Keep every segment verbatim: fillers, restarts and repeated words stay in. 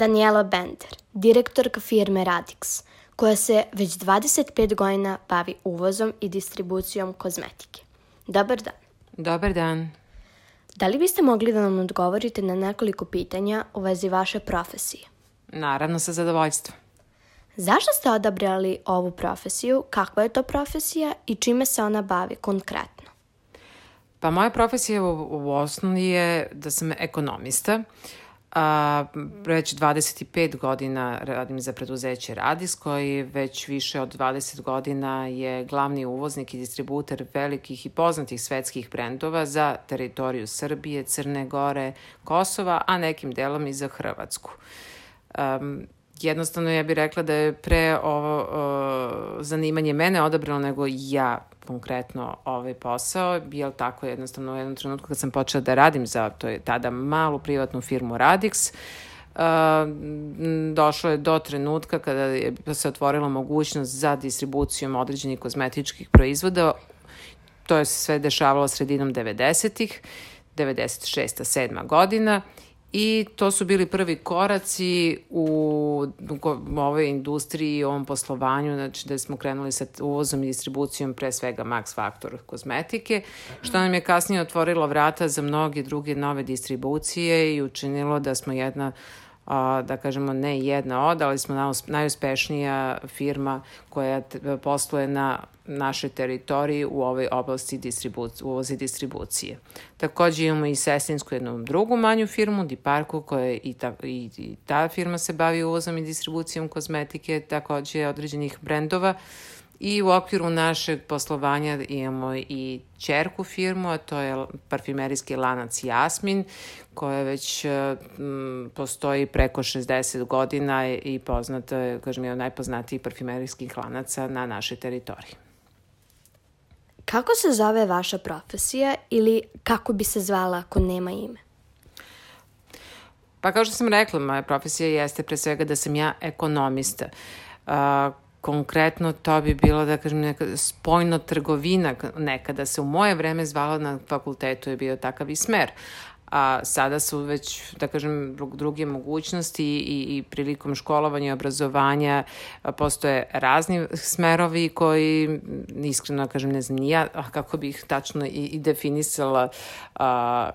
Daniela Bender, direktorka firme Radix, koja se već dvadeset pet godina bavi uvozom i distribucijom kozmetike. Dobar dan. Dobar dan. Da li biste mogli da nam odgovorite na nekoliko pitanja u vezi vaše profesije? Naravno, sa zadovoljstvom. Zašto ste odabrali ovu profesiju, kakva je to profesija i čime se ona bavi konkretno? Pa moja profesija u, u osnovi je da sam ekonomista. A, već dvadeset pet godina radim za preduzeće Radix, koji već više od dvadeset godina je glavni uvoznik i distributer velikih i poznatih svetskih brendova za teritoriju Srbije, Crne Gore, Kosova, a nekim delom i za Hrvatsku. Um, jednostavno ja bih rekla da je pre ovo uh, zanimanje mene odabralo nego ja konkretno ovaj posao, jer tako jednostavno u jednom trenutku kad sam počela da radim za to je tada malu privatnu firmu Radix, uh, došlo je do trenutka kada je se otvorila mogućnost za distribucijom određenih kozmetičkih proizvoda. To je sve dešavalo sredinom devedesetih, devedeset šesta sedma godina. I to su bili prvi koraci u, u ovoj industriji, u ovom poslovanju, znači da smo krenuli sa uvozom i distribucijom pre svega Max Factor kozmetike, što nam je kasnije otvorilo vrata za mnoge druge nove distribucije i učinilo da smo jedna, a, da kažemo ne jedna od, ali smo najuspešnija firma koja posluje na našoj teritoriji u ovoj oblasti distribucije, uvoza i distribucije. Takođe imamo i sestrinsku jednu drugu manju firmu, Diparku, koja i ta, i, i ta firma se bavi uvozom i distribucijom kozmetike, takođe određenih brendova. I u okviru našeg poslovanja imamo i ćerku firmu, a to je parfimerijski lanac Jasmin, koja već m, postoji preko šezdeset godina i poznata je, kažem, je od najpoznatijih parfimerijskih lanaca na našoj teritoriji. Kako se zove vaša profesija ili kako bi se zvala ako nema ime? Pa kao što sam rekla, moja profesija jeste pre svega da sam ja ekonomista. Uh, konkretno to bi bilo, da kažem, neka spoljno trgovina, nekada se u moje vreme zvala na fakultetu, je bio takav i smer. A sada su već, da kažem, druge mogućnosti i, i prilikom školovanja i obrazovanja postoje razni smerovi koji, iskreno kažem, ne znam ni ja kako bih tačno i, i definisala a,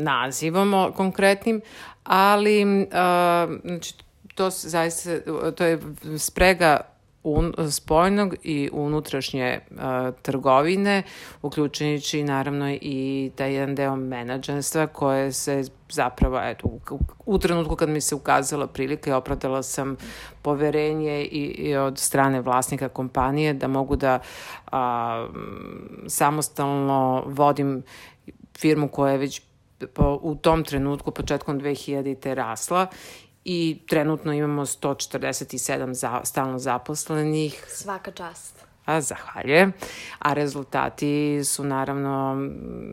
nazivom konkretnim, ali a, znači, to, zaista, to je sprega Un, spoljnog i unutrašnje uh, trgovine, uključujući naravno i taj jedan deo menadžerstva koje se zapravo, eto, u, u trenutku kad mi se ukazala prilika i opravdala sam poverenje i, i od strane vlasnika kompanije da mogu da uh, samostalno vodim firmu koja je već po, u tom trenutku, početkom dve hiljadite rasla. I trenutno imamo sto četrdeset sedam za, stalno zaposlenih. Svaka čast. A, zahvaljujem. A rezultati su naravno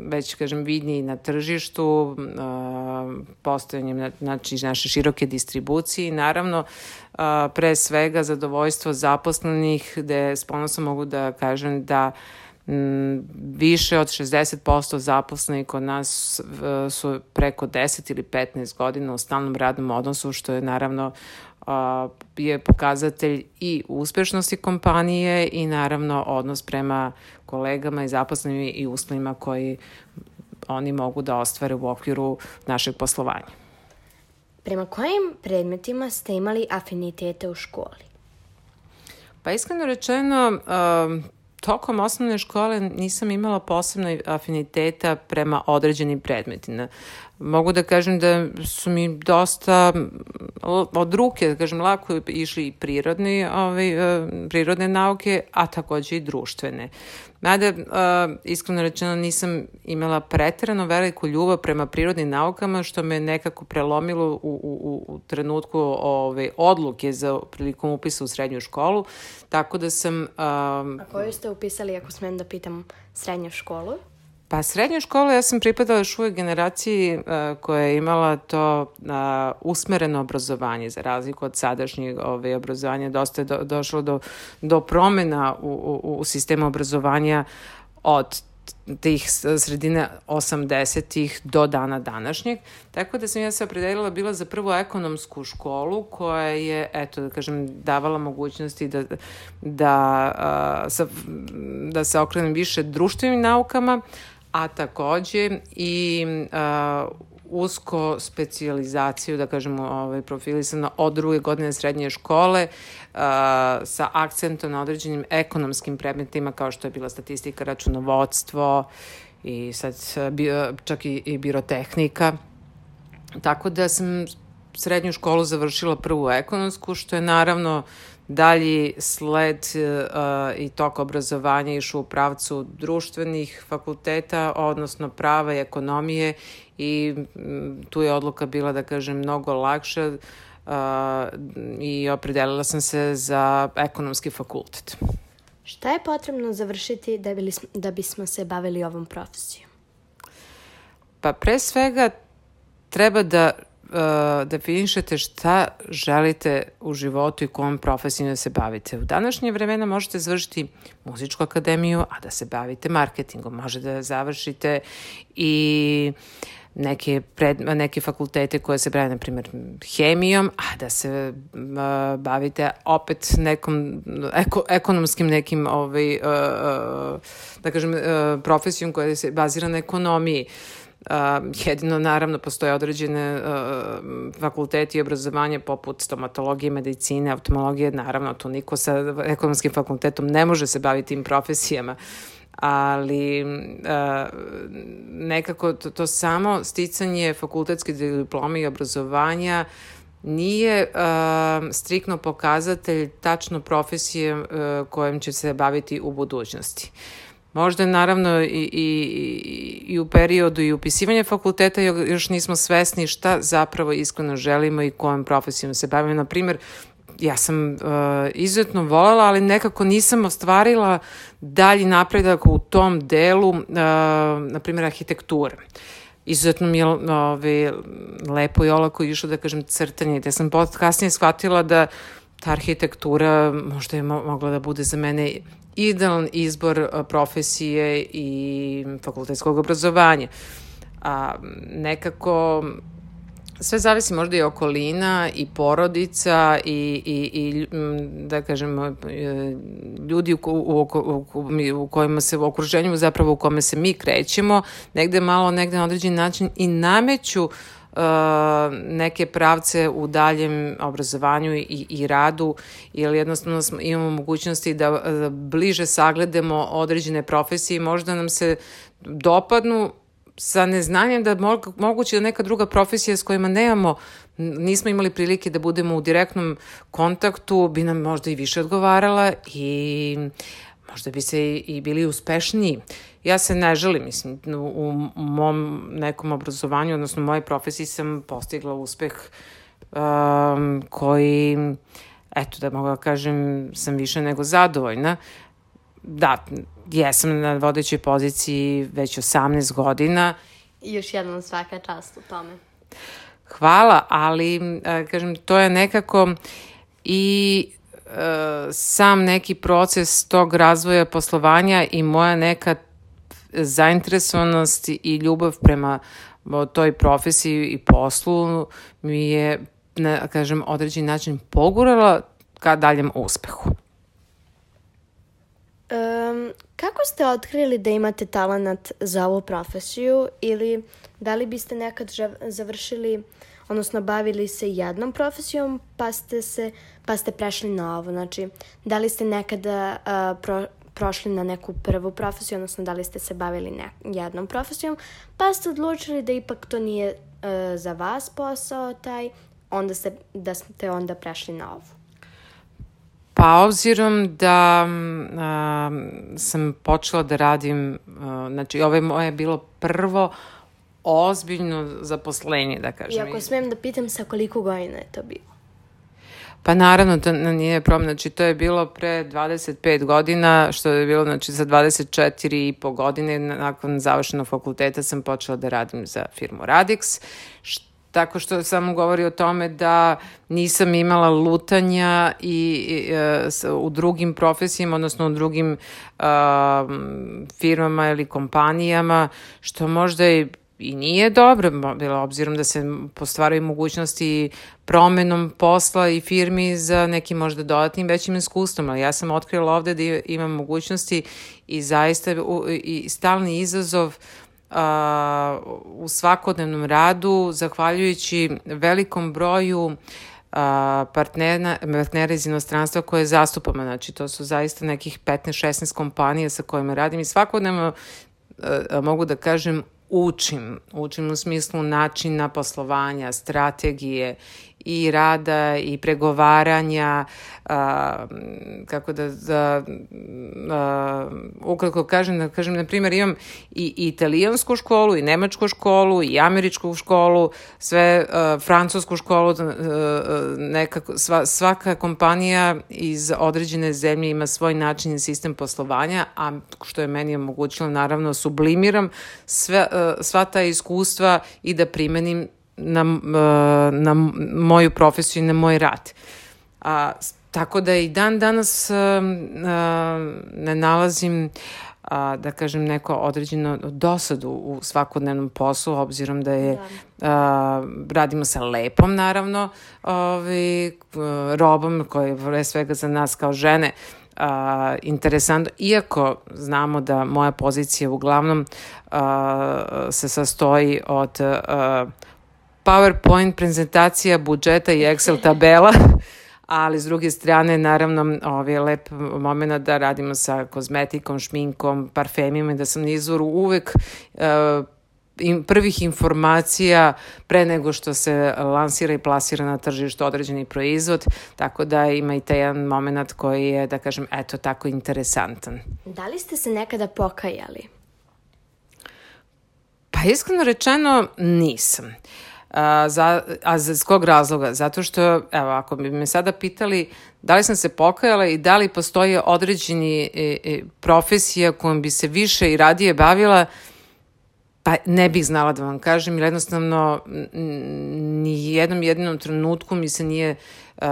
već, kažem, vidni na tržištu, uh, postojanjem znači, naše široke distribucije i naravno uh, pre svega zadovoljstvo zaposlenih, gde s ponosom mogu da kažem da više od šezdeset posto zaposlenih kod nas su preko deset ili petnaest godina u stalnom radnom odnosu, što je naravno je pokazatelj i uspešnosti kompanije i naravno odnos prema kolegama i zaposlenim i uslovima koji oni mogu da ostvare u okviru našeg poslovanja. Prema kojim predmetima ste imali afinitete u školi? Pa iskreno rečeno, tokom osnovne škole nisam imala posebno afiniteta prema određenim predmetima. Mogu da kažem da su mi dosta od ruke, da kažem, lako išli i prirodni, ovaj, prirodne nauke, a takođe i društvene. Mada, iskreno rečeno, nisam imala preterano veliku ljubav prema prirodnim naukama, što me nekako prelomilo u, u, u trenutku ove odluke za prilikom upisa u srednju školu, tako da sam... Um, a koju ste upisali, ako smem da pitam, srednju školu? Pa srednju školu ja sam pripadala još uvijek generaciji uh, koja je imala to uh, usmereno obrazovanje, za razliku od sadašnjeg ove, obrazovanja. Dosta je do, došlo do, do promjena u, u, u sistemu obrazovanja od tih sredine osamdesetih do dana današnjeg. Tako da sam ja se opredelila bila za prvu ekonomsku školu koja je, eto, da kažem, davala mogućnosti da, da, a, sa, da se okrenem više društvenim naukama, a takođe i a, usko specijalizaciju, da kažemo, ovaj, profilisano od druge godine srednje škole uh, sa akcentom na određenim ekonomskim predmetima kao što je bila statistika, računovodstvo i sad bio, čak i, i birotehnika. Tako da sam srednju školu završila prvu ekonomsku, što je naravno dalji sled uh, i tok obrazovanja išao u pravcu društvenih fakulteta, odnosno prava i ekonomije, i m, tu je odluka bila, da kažem, mnogo lakša uh, i opredelila sam se za ekonomski fakultet. Šta je potrebno završiti da, bili, da bismo se bavili ovom profesijom? Pa pre svega treba da Uh, definišete šta želite u životu i kojom profesijom da se bavite. U današnje vremena možete završiti muzičku akademiju, a da se bavite marketingom. Možete da završite i neke, pred, neke fakultete koje se bave, na primjer, hemijom, a da se uh, bavite opet nekom eko, ekonomskim nekim ovaj, uh, uh, da kažem, uh, profesijom koja se bazira na ekonomiji. Uh, jedino, naravno, postoje određene uh, fakulteti i obrazovanje poput stomatologije, medicine, oftalmologije. Naravno, tu niko sa ekonomskim fakultetom ne može se baviti tim profesijama, ali uh, nekako to, to samo sticanje fakultetske diplome i obrazovanja nije uh, striktno pokazatelj tačno profesije uh, kojom će se baviti u budućnosti. Možda naravno i, i, i u periodu i upisivanja fakulteta još nismo svesni šta zapravo iskreno želimo i kojom profesijom se bavimo. Na primjer, ja sam uh, izuzetno voljela, ali nekako nisam ostvarila dalji napredak u tom delu, uh, na primjer, arhitekture. Izuzetno mi je ove, lepo i olako išlo, da kažem, crtanje. Da sam kasnije shvatila da ta arhitektura možda je mo- mogla da bude za mene idealan izbor profesije i fakultetskog obrazovanja. A, nekako sve zavisi možda i okolina i porodica i, i, i da kažem, ljudi u, u, u, u kojima se, u okruženju zapravo u kome se mi krećemo, negde malo, negde na određen način i nameću Uh, neke pravce u daljem obrazovanju i, i radu, jer jednostavno smo, imamo mogućnosti da, da bliže sagledamo određene profesije i možda nam se dopadnu sa neznanjem da mo- moguće da neka druga profesija s kojima nemamo, nismo imali prilike da budemo u direktnom kontaktu, bi nam možda i više odgovarala i možda bi se i, i bili uspešniji. Ja se ne želim, mislim, u mom nekom obrazovanju, odnosno u mojoj profesiji sam postigla uspeh um, koji, eto, da mogu da kažem, sam više nego zadovoljna. Da, jesam na vodećoj poziciji već osamnaest godina. I još jednom svaka čast u tome. Hvala, ali, kažem, to je nekako i sam neki proces tog razvoja poslovanja i moja neka zainteresovanost i ljubav prema toj profesiji i poslu mi je, na, kažem, određen način pogurala ka daljem uspehu. Um, kako ste otkrili da imate talenat za ovu profesiju ili da li biste nekad završili, odnosno bavili se jednom profesijom pa ste, se, pa ste prešli na ovo? Znači, da li ste nekada uh, pro, prošli na neku prvu profesiju, odnosno da li ste se bavili ne, jednom profesijom, pa ste odlučili da ipak to nije uh, za vas posao taj, onda ste, da ste onda prešli na ovu? Pa obzirom da a, sam počela da radim, a, znači ovo je moje bilo prvo ozbiljno zaposlenje, da kažem. I ako smijem da pitam sa koliko godina je to bilo? Pa naravno, to nije problem, znači to je bilo pre dvadeset pet godina, što je bilo, znači za dvadeset četiri i po godine nakon završenog fakulteta sam počela da radim za firmu Radix, tako što samo govori o tome da nisam imala lutanja i, i u drugim profesijama, odnosno u drugim uh, firmama ili kompanijama, što možda i I nije dobro, bilo obzirom da se postvaraju mogućnosti promenom posla i firmi za nekim možda dodatnim većim iskustvom, ali ja sam otkrila ovde da imam mogućnosti i zaista i stalni izazov a, u svakodnevnom radu, zahvaljujući velikom broju a, partnera, partnera iz inostranstva koje zastupamo. Znači, to su zaista nekih petnaest šesnaest kompanija sa kojima radim i svakodnevno a, mogu da kažem učim. Učim u smislu načina poslovanja, strategije i rada i pregovaranja, a, kako da, da a, ukratko kažem, da kažem, na primjer, imam i, i italijansku školu, i nemačku školu, i američku školu, sve a, francusku školu, a, nekako, sva, svaka kompanija iz određene zemlje ima svoj način i sistem poslovanja, a što je meni omogućilo, naravno, sublimiram sve, a, sva ta iskustva i da primenim na, na moju profesiju i na moj rad. A, tako da i dan danas a, a, ne nalazim, a, da kažem, neko određeno dosadu u svakodnevnom poslu, obzirom da je, a, radimo sa lepom, naravno, ovi, robom, koja je pre svega za nas kao žene Uh, interesantno, iako znamo da moja pozicija uglavnom uh, se sastoji od uh, PowerPoint prezentacija, budžeta i Excel tabela, ali s druge strane, naravno, ovaj je lep moment da radimo sa kozmetikom, šminkom, parfemima i da sam na izvoru uvek uh, prvih informacija pre nego što se lansira i plasira na tržištu određeni proizvod, tako da ima i taj jedan moment koji je, da kažem, eto, tako interesantan. Da li ste se nekada pokajali? Pa iskreno rečeno nisam. A, za, a iz kog razloga? Zato što, evo, ako bi me sada pitali da li sam se pokajala i da li postoje određeni e, e, profesija kojom bi se više i radije bavila, pa ne bih znala da vam kažem, jer jednostavno ni jednom jedinom trenutku mi se nije uh,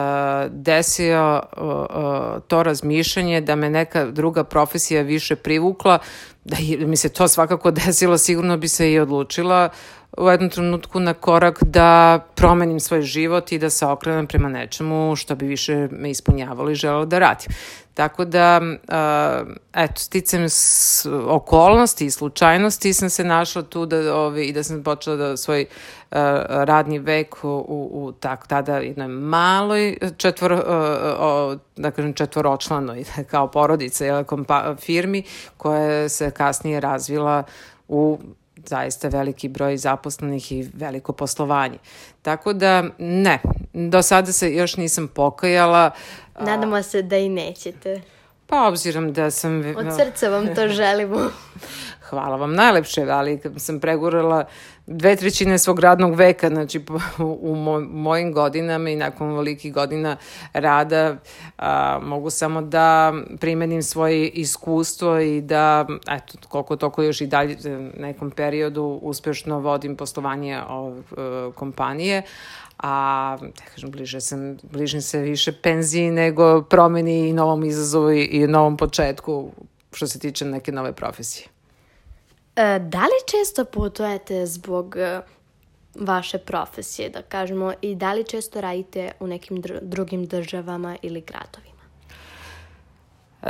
desio uh, uh, to razmišljanje da me neka druga profesija više privukla. Da je, mi se to svakako desilo, sigurno bi se i odlučila u jednom trenutku na korak da promenim svoj život i da se okrenem prema nečemu što bi više me ispunjavalo i želelo da radim. Tako da, uh, eto, sticam s okolnosti i slučajnosti sam se našla tu da, ovi, i da sam počela da svoj uh, radni vek u, u, u tak, tada jednoj maloj četvor, uh, uh, da kažem četvoročlanoj kao porodica jel, kompa, firmi koja se kasnije razvila u zaista veliki broj zaposlenih i veliko poslovanje. Tako da, ne, do sada se još nisam pokajala. Nadamo se da i nećete. Pa, obzirom da sam... Od srca vam to želimo. Hvala vam najlepše, ali kad sam pregurala dve trećine svog radnog veka, znači u mojim godinama i nakon velikih godina rada a, mogu samo da primenim svoje iskustvo i da, eto, koliko toliko još i dalje nekom periodu uspešno vodim poslovanje ove kompanije, a da kažem, bliže sam, bližim se više penziji nego promeni i novom izazovu i, i novom početku što se tiče neke nove profesije. E, da li često putujete zbog e, vaše profesije, da kažemo, i da li često radite u nekim dr- drugim državama ili gradovima?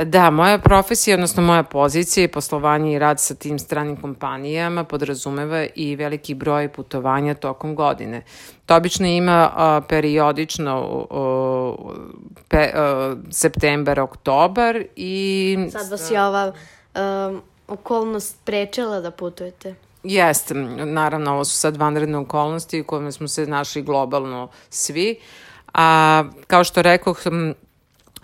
Da, moja profesija, odnosno moja pozicija i poslovanje i rad sa tim stranim kompanijama podrazumeva i veliki broj putovanja tokom godine. To obično ima a, periodično a, pe, a, septembar, oktobar i... Sad vas je ova um, okolnost sprečila da putujete? Jeste, naravno, ovo su sad vanredne okolnosti u kojima smo se našli globalno svi. A kao što rekoh,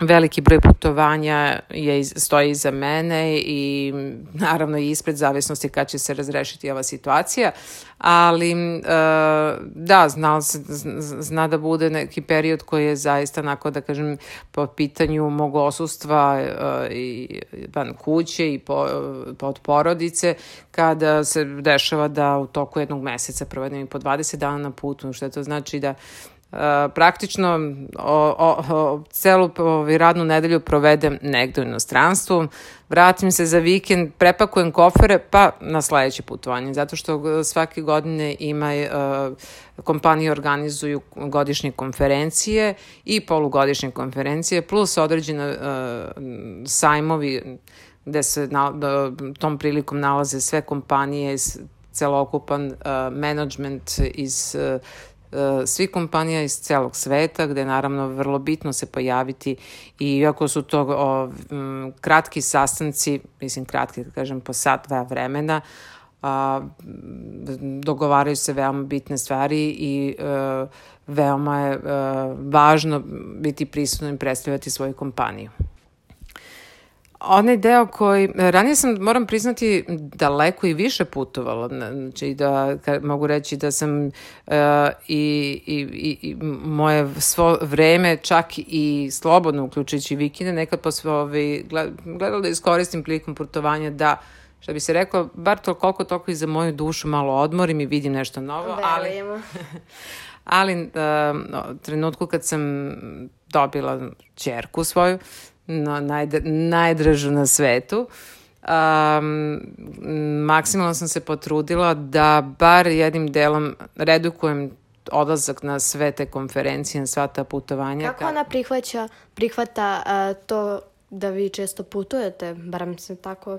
veliki broj putovanja je, stoji iza mene i naravno i ispred zavisnosti kad će se razrešiti ova situacija, ali uh, da, zna, zna da bude neki period koji je zaista onako da kažem po pitanju mog osustva uh, i van kuće i po, pod porodice, kada se dešava da u toku jednog meseca provedem i po dvadeset dana na putu, što to znači da Uh, praktično o, o, o, celu o, radnu nedelju provedem negde u inostranstvu, vratim se za vikend, prepakujem kofere pa na sledeće putovanje, zato što svake godine ima uh, kompanije organizuju godišnje konferencije i polugodišnje konferencije plus određene uh, sajmovi gde se na, da, tom prilikom nalaze sve kompanije, celokupan uh, menadžment iz uh, svih kompanija iz celog sveta, gde je naravno vrlo bitno se pojaviti i iako su to o, m, kratki sastanci, mislim kratki, da kažem, po sat, dva vremena, a, dogovaraju se veoma bitne stvari i a, veoma je a, važno biti prisutno i predstavljati svoju kompaniju. Onaj deo koji, ranije sam, moram priznati, daleko i više putovala, znači da mogu reći da sam uh, i, i, i moje svo vreme, čak i slobodno, uključujući vikende, nekad posle ovaj, gledala da iskoristim prilikom putovanja da, što bi se rekao, bar to koliko toliko i za moju dušu malo odmorim i vidim nešto novo, ali, ali uh, trenutku kad sam dobila ćerku svoju, no, najdra, najdražu na svetu. Um, maksimalno sam se potrudila da bar jednim delom redukujem odlazak na sve te konferencije, na sva ta putovanja. Kako ona prihvaća, prihvata uh, to da vi često putujete, barem se tako...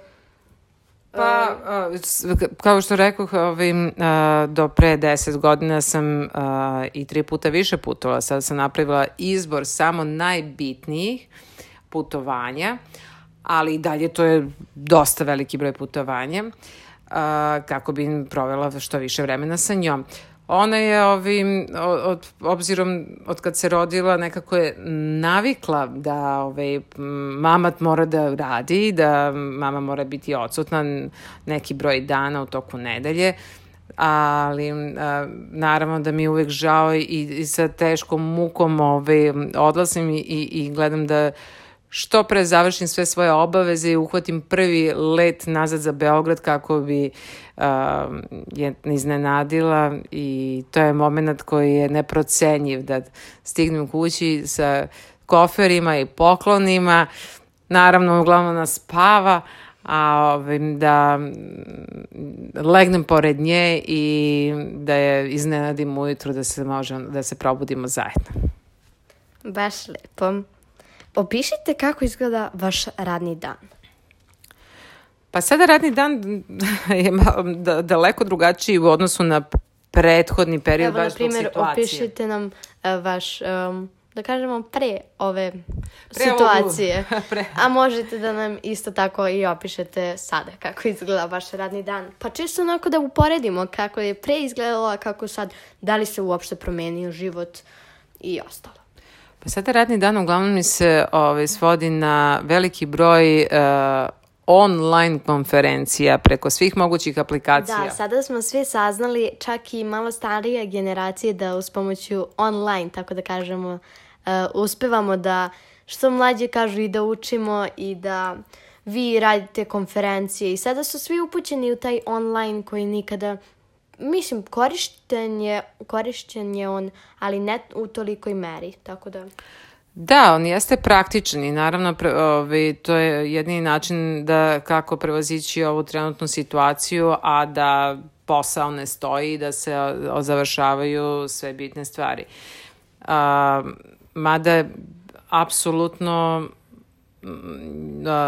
Pa, uh, kao što rekoh, ovim, uh, do pre deset godina sam uh, i tri puta više putovala. Sada sam napravila izbor samo najbitnijih putovanja, ali i dalje to je dosta veliki broj putovanja, uh, kako bi provela što više vremena sa njom. Ona je ovim, od, obzirom od kad se rodila, nekako je navikla da ovaj, mama mora da radi, da mama mora biti odsutna neki broj dana u toku nedelje, ali a, naravno da mi je uvek žao i, i sa teškom mukom ovaj, odlasim i, i, i gledam da što pre završim sve svoje obaveze i uhvatim prvi let nazad za Beograd kako bi uh, je iznenadila i to je moment koji je neprocenjiv da stignem kući sa koferima i poklonima, naravno uglavnom nas spava, a ovim, da legnem pored nje i da je iznenadim ujutru da se možemo, da se probudimo zajedno. Baš lepo. Opišite kako izgleda vaš radni dan. Pa sada radni dan je daleko drugačiji u odnosu na prethodni period. Evo, baš zbog situacije. Evo, na primjer, opišite nam uh, vaš, um, da kažemo, pre ove pre situacije. pre. A možete da nam isto tako i opišete sada kako izgleda vaš radni dan. Pa čisto onako da uporedimo kako je pre izgledalo, a kako sad, da li se uopšte promenio život i ostalo. Pa sada radni dan uglavnom mi se ovaj, svodi na veliki broj uh, online konferencija preko svih mogućih aplikacija. Da, sada smo svi saznali, čak i malo starije generacije, da uz pomoću online, tako da kažemo, uh, uspevamo da što mlađe kažu i da učimo i da vi radite konferencije. I sada su svi upućeni u taj online koji nikada... Mislim, korišten je, korišten je on, ali ne u tolikoj meri, tako da... Da, on jeste praktičan i naravno pre, ovaj, to je jedini način da kako prevazići ovu trenutnu situaciju, a da posao ne stoji i da se završavaju sve bitne stvari. A, mada apsolutno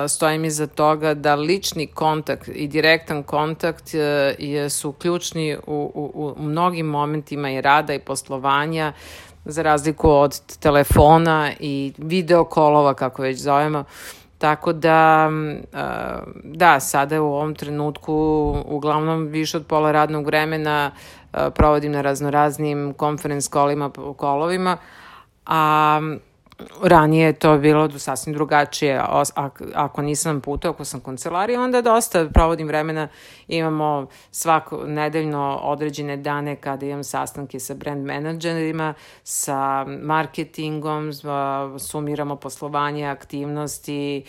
stojim iza toga da lični kontakt i direktan kontakt je, su ključni u, u, u mnogim momentima i rada i poslovanja, za razliku od telefona i video kolova, kako već zovemo. Tako da, da, sada u ovom trenutku uglavnom više od pola radnog vremena provodim na raznoraznim conference kolima, kolovima, a ranije je to bilo sasvim drugačije. Ako nisam puta, ako sam kancelarija, onda dosta provodim vremena. Imamo svako nedeljno određene dane kada imam sastanke sa brand menadžerima, sa marketingom, sumiramo poslovanje, aktivnosti,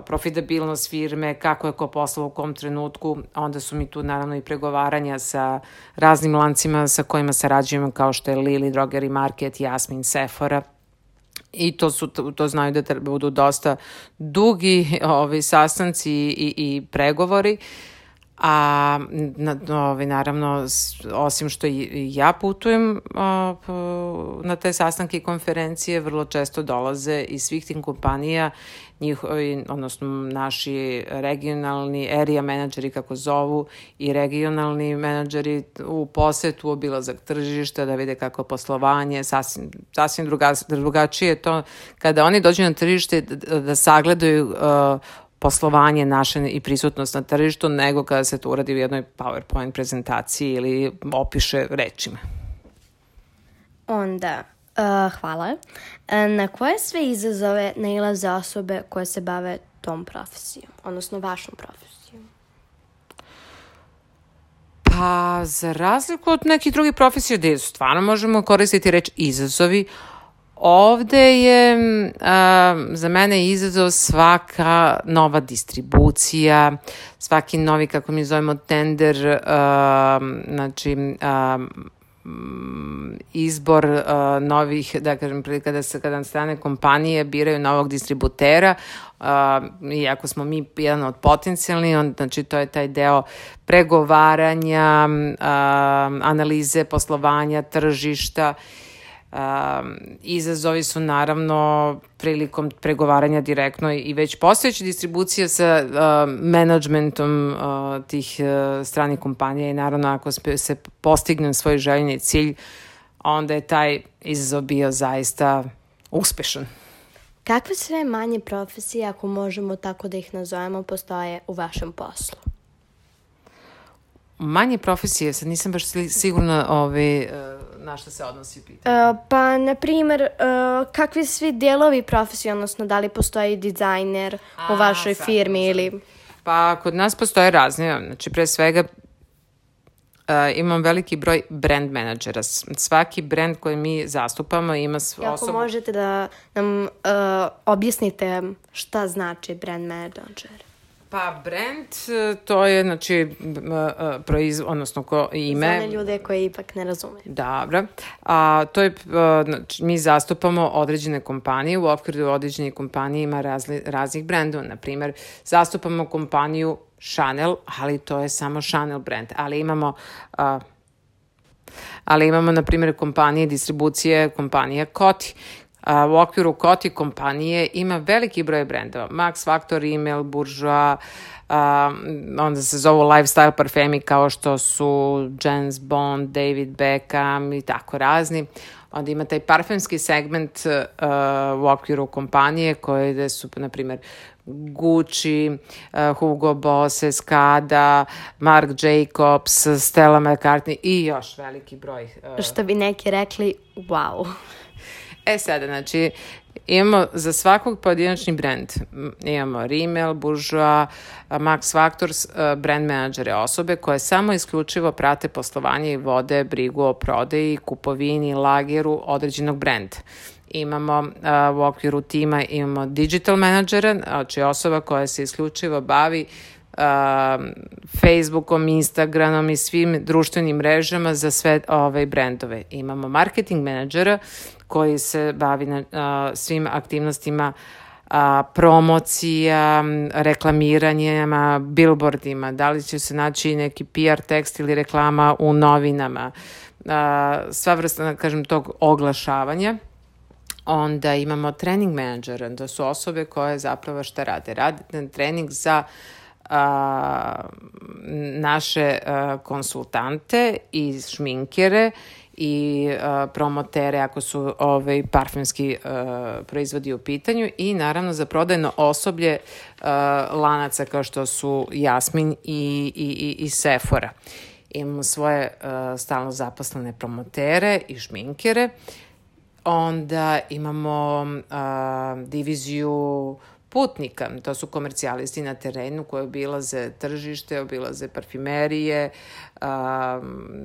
profitabilnost firme, kako je ko poslao u kom trenutku. Onda su mi tu naravno i pregovaranja sa raznim lancima sa kojima sarađujemo, kao što je Lili, Drogeri Market, Jasmin, Sephora. I to, su, to znaju da budu dosta dugi ovi sastanci i, i pregovori. A na, ovi, naravno, osim što i ja putujem o, na te sastanke i konferencije, vrlo često dolaze iz svih tih kompanija, njihovi, odnosno naši regionalni area menadžeri, kako zovu, i regionalni menadžeri u posetu, obilazak tržišta, da vide kako poslovanje, sasvim, sasvim druga, drugačije to kada oni dođu na tržište da, da sagledaju uh, poslovanje naše i prisutnost na tržištu, nego kada se to uradi u jednoj PowerPoint prezentaciji ili opiše rečima. Onda, uh, hvala. Na koje sve izazove nailaze osobe koje se bave tom profesijom, odnosno vašom profesijom? Pa, za razliku od nekih drugih profesija gde stvarno možemo koristiti reč izazovi, ovde je a, za mene izazov svaka nova distribucija, svaki novi, kako mi zovemo, tender, a, znači a, izbor uh, novih, da kažem, kada se kada strane kompanije biraju novog distributera, uh, iako smo mi jedan od potencijalnih, on, znači to je taj deo pregovaranja, uh, analize poslovanja, tržišta. Uh, izazovi su naravno prilikom pregovaranja direktno i već postojeća distribucija sa uh, menadžmentom uh, tih uh, stranih kompanija i naravno ako se postigne svoj željeni cilj, onda je taj izazov bio zaista uspešan. Kakve sve manje profesije, ako možemo tako da ih nazovemo, postoje u vašem poslu? Manje profesije, sad nisam baš sigurna ove, na što se odnosi pitanje. Uh, pa, na primjer, uh, kakvi svi dijelovi profesije, odnosno da li postoji dizajner A, u vašoj sad, firmi sad. Ili... Pa, kod nas postoje razne, znači pre svega Uh, imam veliki broj brand menadžera. Svaki brand koji mi zastupamo ima svoju osobu. Ako možete da nam uh, objasnite šta znači brand menadžer? Pa brand, to je znači uh, proiz, odnosno ko ime. Za one ljude koji ipak ne razume. Dobro. A, to je, uh, znači, mi zastupamo određene kompanije, u okviru određenih kompanije ima razli, raznih brendova. Naprimjer, zastupamo kompaniju Chanel, ali to je samo Chanel brand. Ali imamo, uh, ali imamo na primjer, kompanije distribucije, kompanija Coty. Uh, u okviru Coty kompanije ima veliki broj brendova. Max Factor, Rimmel, Bourjois, uh, onda se zovu lifestyle parfemi kao što su James Bond, David Beckham i tako razni. Onda ima taj parfemski segment uh, u okviru kompanije koje su, na primjer, Gucci, uh, Hugo Boss, Escada, Marc Jacobs, Stella McCartney i još veliki broj. Uh... Što bi neki rekli, wow. E sada, znači, imamo za svakog pojedinačni brand. Imamo Rimmel, Bourjois, Max Factor, brand menadžere, osobe koje samo isključivo prate poslovanje i vode brigu o prodaji, kupovini, lageru određenog brenda. Imamo uh, u okviru tima imamo digital menadžera, znači osoba koja se isključivo bavi uh, Facebookom, Instagramom i svim društvenim mrežama za sve ove brendove. Imamo marketing menadžera koji se bavi na, uh, svim aktivnostima uh, promocija, reklamiranjima, billboardima, da li će se naći neki P R tekst ili reklama u novinama, uh, sva vrsta, kažem, tog oglašavanja. Onda imamo trening menadžera, to su osobe koje zapravo šta rade? Rade trening za a, naše a, konsultante i šminkere i a, promotere ako su ovaj, parfemski a, proizvodi u pitanju i naravno za prodajno osoblje a, lanaca kao što su Jasmin i, i, i, i Sephora. Imamo svoje a, stalno zaposlene promotere i šminkere. onda imamo a, diviziju putnika, to su komercijalisti na terenu koji obilaze tržište, obilaze parfimerije, a,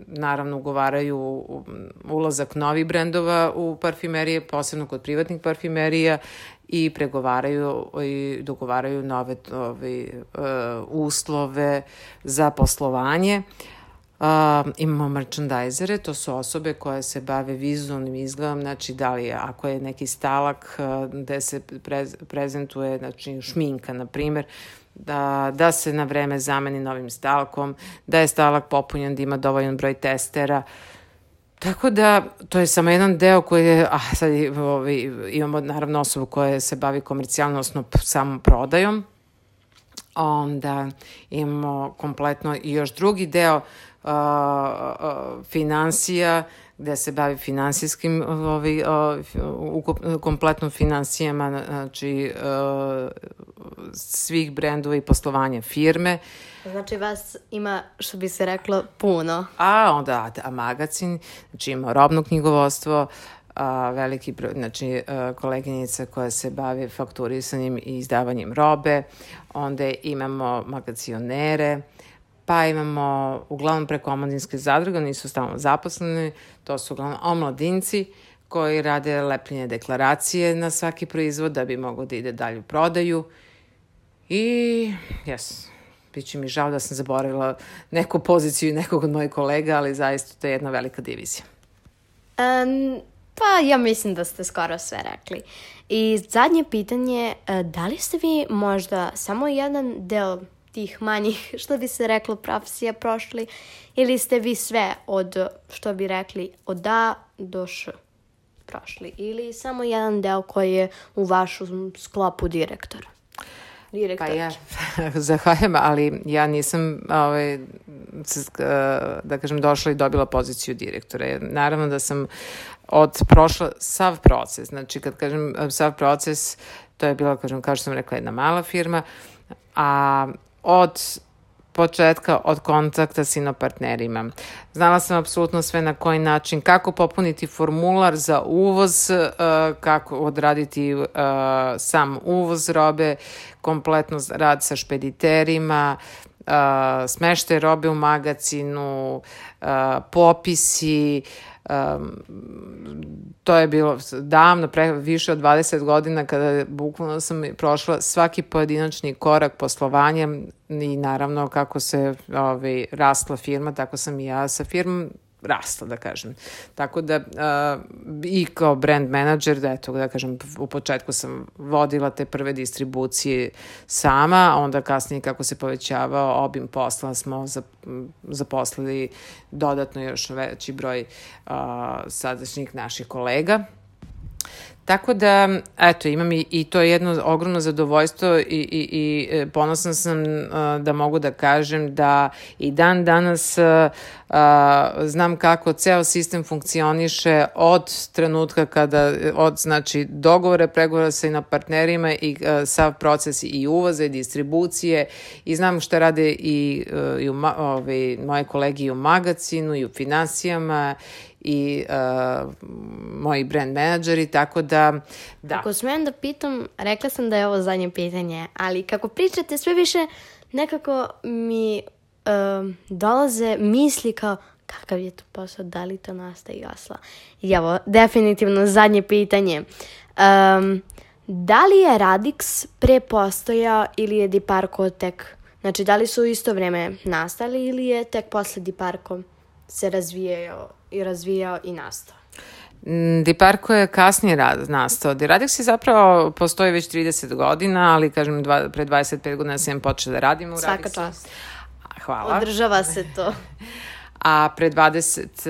naravno ugovaraju ulazak novih brendova u parfimerije, posebno kod privatnih parfimerija, i pregovaraju i dogovaraju nove ovi, uh, uslove za poslovanje. Uh, imamo merchandisere, to su osobe koje se bave vizualnim izgledom, znači da li je, ako je neki stalak uh, gde se prez, prezentuje, znači šminka, na primer, da, da se na vreme zameni novim stalkom, da je stalak popunjen, da ima dovoljan broj testera. Tako da, to je samo jedan deo koji je, a sad ovi, imamo naravno osobu koja se bavi komercijalno, odnosno samom prodajom, onda imamo kompletno i još drugi deo uh, uh, finansija, gde se bavi finansijskim, ovi, uh, kompletno finansijama, znači uh, svih brendova i poslovanja firme. Znači vas ima, što bi se reklo, puno. A onda a magazin, znači ima robno knjigovodstvo, a, veliki broj, znači a, koleginica koja se bavi fakturisanjem i izdavanjem robe, onda imamo magacionere, pa imamo uglavnom preko omladinske zadruge, nisu stalno zaposleni, to su uglavnom omladinci koji rade lepljenje deklaracije na svaki proizvod da bi moglo da ide dalje u prodaju. I, jes, biće mi žao da sam zaboravila neku poziciju i nekog od mojih kolega, ali zaista to je jedna velika divizija. Um, pa ja mislim da ste skoro sve rekli. I zadnje pitanje, da li ste vi možda samo jedan deo tih manjih, što bi se reklo, profesija prošli, ili ste vi sve od, što bi rekli, od A do Š prošli, ili samo jedan deo koji je u vašem sklopu direktora? Pa ja, zahvaljujem, ali ja nisam, ovaj, da kažem, došla i dobila poziciju direktora. Naravno da sam od prošla sav proces, znači kad kažem sav proces, to je bila, kažem, kao što sam rekla, jedna mala firma, a od početka, od kontakta s inopartnerima. Znala sam apsolutno sve na koji način, kako popuniti formular za uvoz, kako odraditi sam uvoz robe, kompletno rad sa špediterima, smeštaj robe u magazinu, popisi. Um, to je bilo davno, pre, više od dvadeset godina, kada bukvalno sam prošla svaki pojedinačni korak poslovanja i naravno kako se ovaj, rasla firma, tako sam i ja sa firmom rasla, da kažem. Tako da uh, i kao brand manager, da eto, da kažem, u početku sam vodila te prve distribucije sama, a onda kasnije kako se povećavao obim posla smo zaposlili dodatno još veći broj uh, sadašnjih naših kolega. Tako da, eto, imam i, i to je jedno ogromno zadovoljstvo i, i, i ponosna sam uh, da mogu da kažem da i dan danas uh, uh, znam kako ceo sistem funkcioniše od trenutka kada, od znači dogovore, pregovora sa inopartnerima i uh, sav proces i uvoza i distribucije i znam šta rade i, uh, i u, ovi, moje kolege i u magazinu i u finansijama i uh, moji brand menadžeri, tako da, da. Ako smijem da pitam, rekla sam da je ovo zadnje pitanje, ali kako pričate sve više, nekako mi uh, dolaze misli kao kakav je to posao, da li to nastaje i osla. I evo, definitivno zadnje pitanje. Um, da li je Radix pre postojao ili je Diparko tek, znači da li su u isto vreme nastali ili je tek posle Diparko se razvijao i razvijao i nastao? Diparko je kasnije rad, nastao. Radix je zapravo postoji već trideset godina, ali kažem dva, pre dvadeset pet godina sam počela da radim u Radixu. Svaka čast. Hvala. Održava se to. A pre dvadeset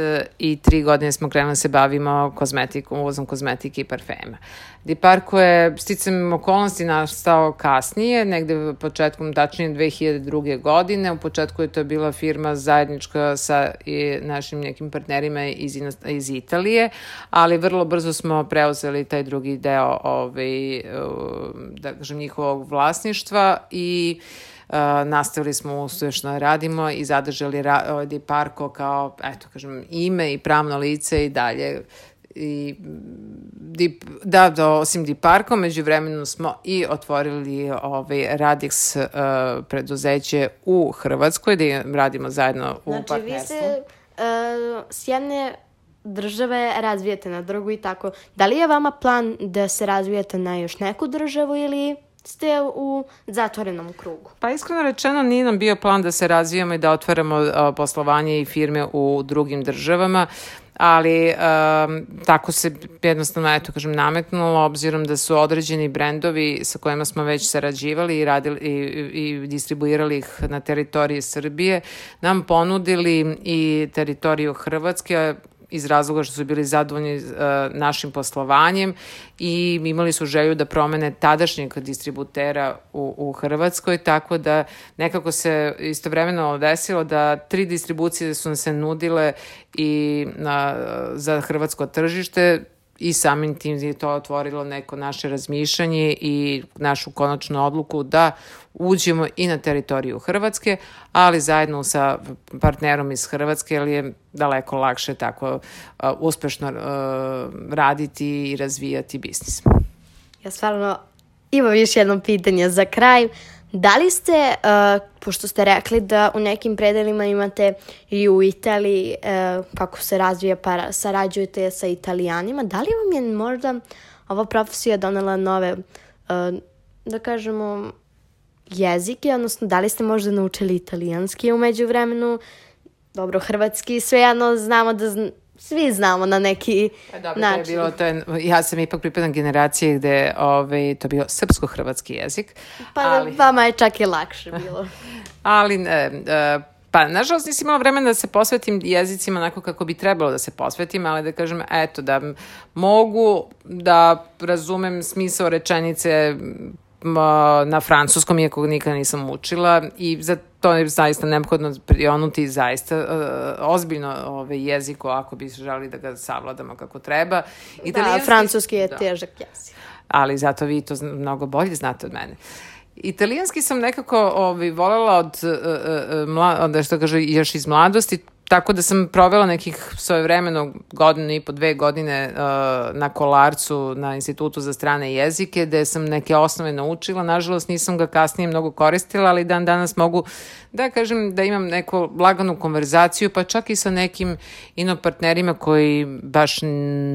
tri godine smo krenuli da se bavimo kozmetikom, uvozom kozmetike i parfema. Diparko je sticam okolnosti nastao kasnije, negde početkom, tačnije dve hiljade druge. godine. U početku je to bila firma zajednička sa i našim nekim partnerima iz, iz Italije, ali vrlo brzo smo preuzeli taj drugi deo ovaj, da kažem, njihovog vlasništva i Uh, nastavili smo uspešno da radimo i zadržali ra- Diparko kao, eto, kažem, ime i pravno lice i dalje i Deep, da, da, osim Deep Parka, među vremenu smo i otvorili ovaj Radix uh, preduzeće u Hrvatskoj, da radimo zajedno u znači, partnerstvu. Znači, vi se uh, s jedne države razvijete na drugu i tako. Da li je vama plan da se razvijete na još neku državu ili ste u zatvorenom krugu? Pa iskreno rečeno nije nam bio plan da se razvijamo i da otvaramo uh, poslovanje i firme u drugim državama, ali um, tako se jednostavno, eto kažem, nametnulo, obzirom da su određeni brendovi sa kojima smo već sarađivali i, radili, i, i distribuirali ih na teritoriji Srbije, nam ponudili i teritoriju Hrvatske, iz razloga što su bili zadovoljni uh, našim poslovanjem i imali su želju da promene tadašnjeg distributera u, u Hrvatskoj, tako da nekako se istovremeno desilo da tri distribucije su nam se nudile i uh, za hrvatsko tržište i samim tim je to otvorilo neko naše razmišljanje i našu konačnu odluku da uđemo i na teritoriju Hrvatske, ali zajedno sa partnerom iz Hrvatske, jer je daleko lakše tako uh, uspešno uh, raditi i razvijati biznis. Ja stvarno imam još jedno pitanje za kraj. Da li ste, uh, pošto ste rekli da u nekim predelima imate i u Italiji, uh, kako se razvija pa sarađujete sa Italijanima, da li vam je možda ova profesija donela nove, uh, da kažemo, jezike, odnosno da li ste možda naučili italijanski u međuvremenu? Dobro, hrvatski, svejedno znamo da zna, svi znamo na neki e, dobro, način. To je bilo, to je, ja sam ipak pripadam generaciji gde ovaj, to je bio srpsko-hrvatski jezik. Pa ali, vama je čak i lakše bilo. ali, e, e, pa nažalost nisam imala vremena da se posvetim jezicima onako kako bi trebalo da se posvetim, ali da kažem, eto, da mogu da razumem smisao rečenice na francuskom, iako nikada nisam učila i za to je zaista neophodno prionuti zaista uh, ozbiljno ovaj jezik ako bi želeli da ga savladamo kako treba. Da, francuski je da. težak jezik. Ali zato vi to mnogo bolje znate od mene. Italijanski sam nekako ovaj, voljela od, uh, uh, mla, od, što kaže, još iz mladosti, tako da sam provela nekih svojevremeno godinu i po dve godine uh, na Kolarcu, na Institutu za strane jezike, gde sam neke osnove naučila. Nažalost, nisam ga kasnije mnogo koristila, ali dan danas mogu da kažem da imam neku laganu konverzaciju, pa čak i sa nekim inopartnerima koji baš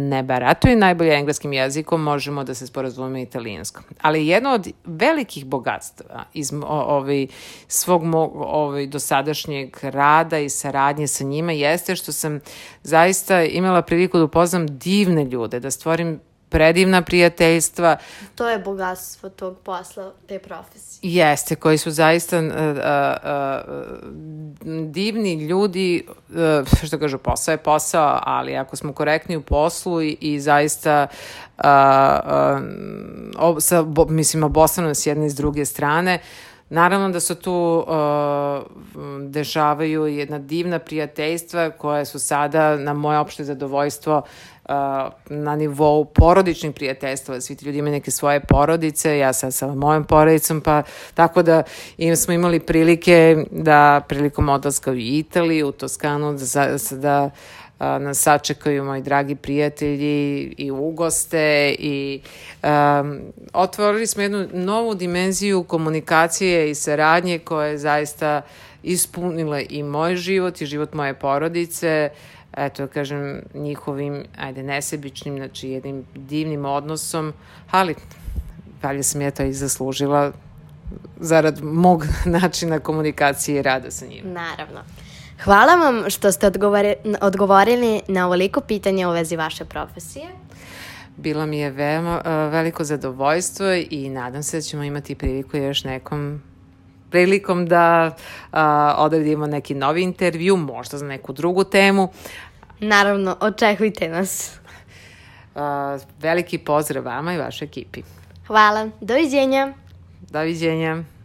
ne barataju najbolje engleskim jezikom, možemo da se sporazumemo italijanskom. Ali jedno od velikih bogatstva iz ovaj, svog ovaj, dosadašnjeg rada i saradnje sa njima jeste što sam zaista imala priliku da upoznam divne ljude, da stvorim predivna prijateljstva. To je bogatstvo tog posla, te profesije. Jeste, koji su zaista uh, uh, divni ljudi, uh, što kažu, posao je posao, ali ako smo korektni u poslu i, i zaista uh, uh, sa, bo, mislim, obostrano s jedne i s druge strane, naravno da se tu uh, dešavaju jedna divna prijateljstva koja su sada na moje opšte zadovoljstvo uh, na nivou porodičnih prijateljstva. Svi ti ljudi imaju neke svoje porodice, ja sad sa mojom porodicom, pa tako da im smo imali prilike da prilikom odlaska u Italiju, u Toskanu, da, da nas sačekaju moji dragi prijatelji i ugoste i um, otvorili smo jednu novu dimenziju komunikacije i saradnje koja je zaista ispunila i moj život i život moje porodice, eto, kažem, njihovim, ajde, nesebičnim, znači jednim divnim odnosom, ali valjda sam ja to i zaslužila zarad mog načina komunikacije i rada sa njima. Naravno. Hvala vam što ste odgovori, odgovorili na ovoliko pitanja u vezi vaše profesije. Bilo mi je veoma uh, veliko zadovoljstvo i nadam se da ćemo imati priliku još nekom prilikom da uh, odredimo neki novi intervju, možda za neku drugu temu. Naravno, očekujte nas. Uh, veliki pozdrav vama i vašoj ekipi. Hvala, doviđenja. Doviđenja.